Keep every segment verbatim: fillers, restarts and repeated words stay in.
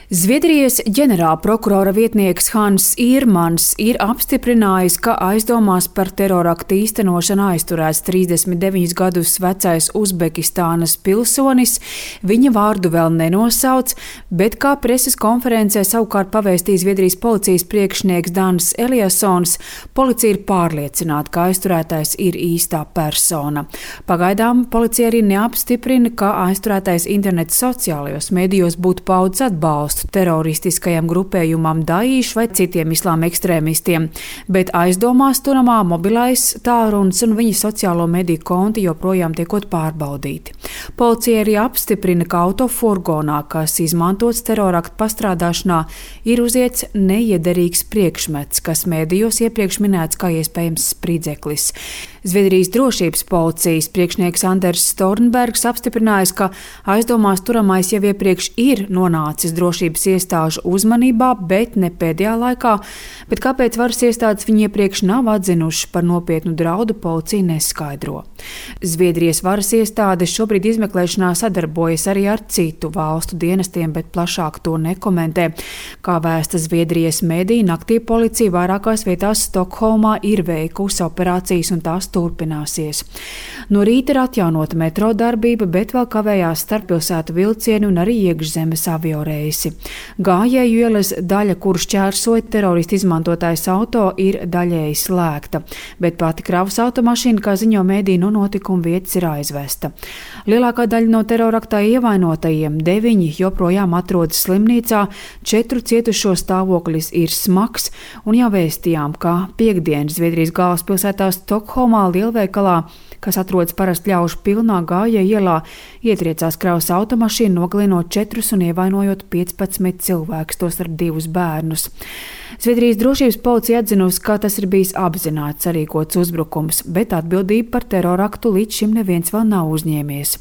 Zviedrijas ģenerālprokurora vietnieks Hans Īrmans ir apstiprinājis, ka aizdomās par teroraktu īstenošanu aizturēts trīsdesmit deviņus gadus vecais Uzbekistānas pilsonis. Viņa vārdu vēl nenosauc, bet kā preses konferencē savukārt pavēstīja Zviedrijas policijas priekšnieks Dans Eliassons, policija ir pārliecināta, ka aizturētais ir īstā persona. Pagaidām policija arī neapstiprina, ka aizturētais interneta sociālajos medijos būtu paudis atbalstu teroristiskajam grupējumam Daesh vai citiem islāma ekstrēmistiem, bet aizdomās turamā mobilais tālrunis un viņa sociālo mediju konti joprojām tiekot pārbaudīti. Policija arī apstiprina, ka autofurgonā, kas izmantots teroraktu pastrādāšanā, ir uziets neiederīgs priekšmets, kas medijos iepriekš minēts kā iespējams spridzeklis. Zviedrijas drošības policijas priekšnieks Anders Stornbergs apstiprinājis, ka aizdomās turamais jau iepriekš ir nonācis drošības iestāžu uzmanībā, bet ne pēdējā laikā, bet kāpēc varas iestādes viņi iepriekš nav atzinuši par nopietnu draudu, policija neskaidro. Zviedrijas varas iestādes šobrīd izmeklēšanā sadarbojas arī ar citu valstu dienestiem, bet plašāk to nekomentē. Kā vēsta Zviedrijas mediji, naktī policija vairākās vietās Stokholmā ir veikusi operācijas un tās turpināsies. No rīta ir atjaunota metro darbība, bet vēl kavējās starppilsētu vilcieni un arī iekšzemes avioreisi. Gājēju ielas daļa, kur šķērsoja teroristi izmantotais auto, ir daļēji slēgta, bet pati kravas automašīna, kā ziņo mediji, no notikuma vietas ir aizvesta. Lielākā daļa no teroraktā ievainotajiem, deviņi joprojām atrodas slimnīcā, četru cietušo stāvoklis ir smags, un jau vēstījām, ka piektdien Zviedrijas galvaspilsētā Stokholmā lielveikalā, kas atrodas parasti ļaužu pilnā Gājēju ielā, ietriecās kravas automašīna, nogalinot četrus un ievainojot piecpadsmit cilvēkus, tos ar divus bērnus. Zviedrijas drošības policija atzinusi, ka tas ir bijis apzināts sarīkots uzbrukums, bet atbildību par teroraktu līdz šim neviens vēl nav uzņēmies.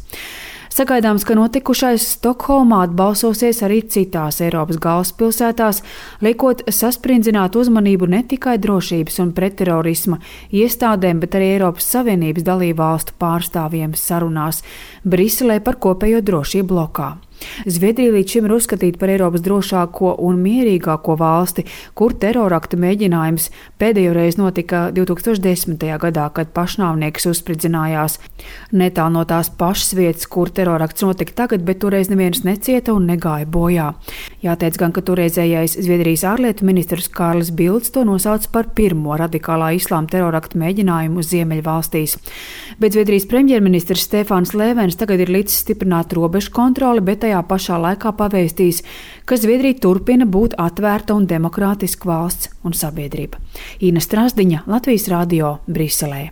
Sagaidāms, ka notikušais Stokholmā atbalsosies arī citās Eiropas galvaspilsētās, liekot sasprindzināt uzmanību ne tikai drošības un pretterorisma iestādēm, bet arī Eiropas Savienības dalībvalstu pārstāvjiem sarunās Briselē par kopējo drošību blokā. Zviedrija līdz šim ir uzskatīta par Eiropas drošāko un mierīgāko valsti, kur terorakta mēģinājums pēdējo reizi notika divi tūkstoši desmitajā gadā, kad pašnāvnieks uzspridzinājās netālu no tās pašas vietas, kur terorakts notika tagad, bet toreiz neviens necieta un negāja bojā. Jāteic gan, ka toreizējais Zviedrijas ārlietu ministrs Kārlis Bilds to nosauca par pirmo radikālā islāma terorakta mēģinājumu Ziemeļvalstīs. Bet Zviedrijas premjerministrs Stefans Lēvens tagad ir līdz stiprināt robežu kontroli, bet tajā pašā laikā pavēstīs, ka Zviedrija turpina būt atvērta un demokrātiska valsts un sabiedrība. Ina Strasdiņa, Latvijas radio, Briselē.